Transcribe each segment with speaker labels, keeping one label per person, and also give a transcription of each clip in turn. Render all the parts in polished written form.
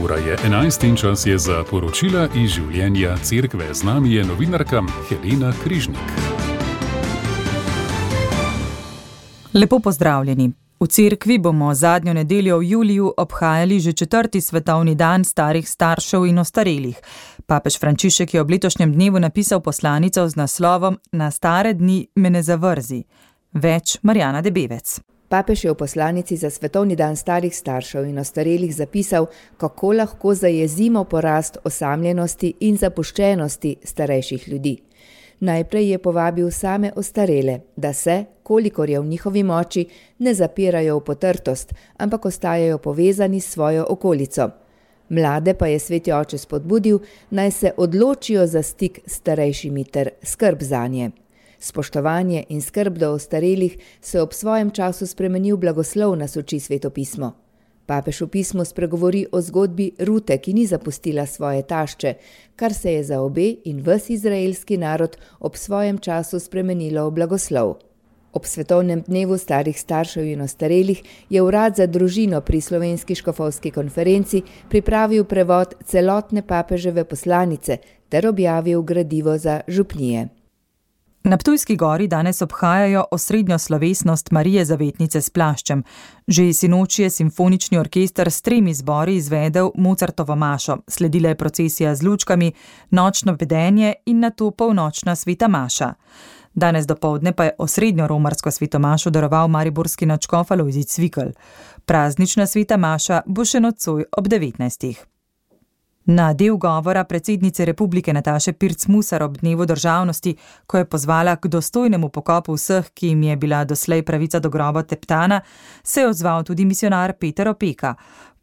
Speaker 1: ura je 11 in čas je za poročila iz življenja cerkve. Z nami je novinarka Helena Križnik.
Speaker 2: Lepo pozdravljeni. V cerkvi bomo zadnjo nedeljo v juliju obhajali že 4. svetovni dan starih staršev in ostarelih. Papež Frančišek je ob letošnjem dnevu napisal poslanico z naslovom Na stare dni me ne zavrzi. Več Marjana Debevec.
Speaker 3: Papež je v poslanici za svetovni dan starih staršev in ostarelih zapisal, kako lahko zajezimo porast osamljenosti in zapuščenosti starejših ljudi. Najprej je povabil same ostarele, da se, kolikor je v njihovi moči, ne zapirajo v potrtost, ampak ostajajo povezani s svojo okolico. Mlade pa je sveti oče spodbudil, naj se odločijo za stik s starejšimi ter skrb zanje. Spoštovanje in skrb do ostarelih se ob svojem času spremeni v blagoslov, nas uči Sveto pismo. Papež v pismu spregovori o zgodbi Rute, ki ni zapustila svoje tašče, kar se je za obe in ves izraelski narod ob svojem času spremenilo v blagoslov. Ob svetovnem dnevu starih staršev in ostarelih je Urad za družino pri Slovenski škofovski konferenci pripravil prevod celotne papeževe poslanice ter objavil gradivo za župnije.
Speaker 2: Na Ptujski gori danes obhajajo osrednjo slovesnost Marije Zavetnice s plaščem. Že sinoči je simfonični orkester s 3 zbori izvedel Mozartovo mašo. Sledila je procesija z lučkami, nočno vedenje in nato polnočna sveta maša. Danes dopoldne pa je osrednjo romarsko sveto mašo daroval mariborski nadškof Alojzij Cvikl. Praznična sveta maša bo še nocoj ob 19. Na del govora predsednice Republike Nataše Pirc Musar ob dnevu državnosti, ko je pozvala k dostojnemu pokopu vseh, ki jim je bila doslej pravica do groba teptana, se je odzval tudi misionar Peter Opeka.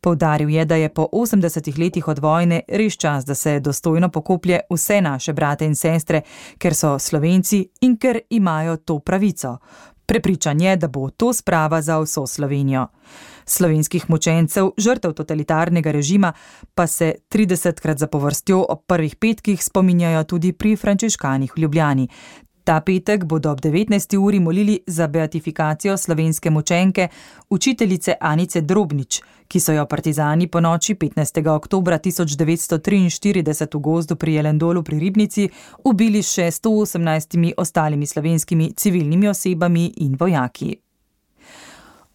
Speaker 2: Poudaril je, da je po 80 letih od vojne res čas, da se dostojno pokoplje vse naše brate in sestre, ker so Slovenci in ker imajo to pravico. Prepričan je, da bo to sprava za vso Slovenijo. Slovenskih mučencev, žrtev totalitarnega režima, pa se 30krat zapovrstjo ob prvih petkih spominjajo tudi pri frančiškanih v Ljubljani. Ta petek bodo ob 19. uri molili za beatifikacijo slovenske mučenke, učiteljice Anice Drobnič, ki so jo partizani po noči 15. oktobra 1943 v gozdu pri Jelendolu pri Ribnici ubili še 118 ostalimi slovenskimi civilnimi osebami in vojaki.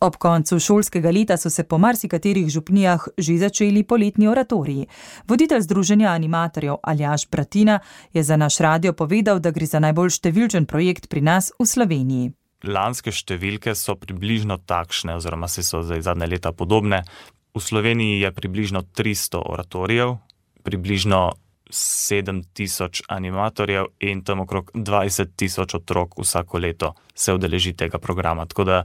Speaker 2: Ob koncu šolskega leta so se po marsikaterih župnijah že začeli poletni oratoriji. Voditelj Združenja animatorjev Aljaž Bratina je za naš radio povedal, da gre za najbolj številčen projekt pri nas v Sloveniji.
Speaker 4: Lanske številke so približno takšne, oziroma so zdaj zadnje leta podobne. V Sloveniji je približno 300 oratorijev, približno 7000 animatorjev in tam okrog 20.000 otrok vsako leto se udeleži tega programa. Tako da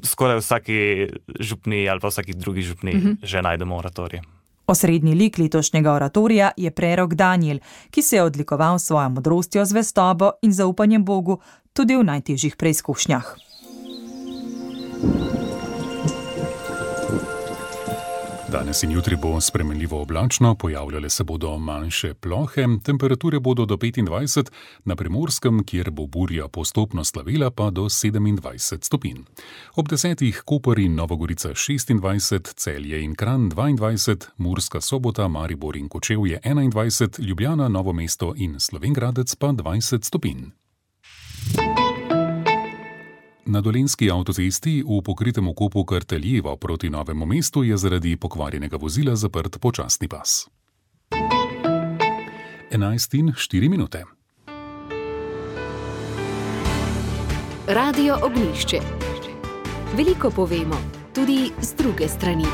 Speaker 4: skoraj vsaki župniji ali pa vsaki drugi župniji že najdemo oratorij.
Speaker 2: Osrednji lik letošnjega oratorija je prerok Danijel, ki se je odlikoval s svojo modrostjo, zvestobo in zaupanjem Bogu tudi v najtežjih preizkušnjah.
Speaker 1: Danes in jutri bo spremenljivo oblačno, pojavljale se bodo manjše plohe, temperature bodo do 25, na Primorskem, kjer bo burja postopno slavila, pa do 27 stopinj. Ob 10. Koper in Nova Gorica 26, Celje in Kranj 22, Murska Sobota, Maribor in Kočevje 21, Ljubljana, Novo mesto in Slovenj Gradec pa 20 stopinj. Na Dolenjski avtocesti v pokritem okopu Karteljevo proti Novemu mestu je zaradi pokvarjenega vozila zaprt počasni pas. 11:04.
Speaker 5: Radio Ognjišče. Veliko povemo, tudi z druge strani.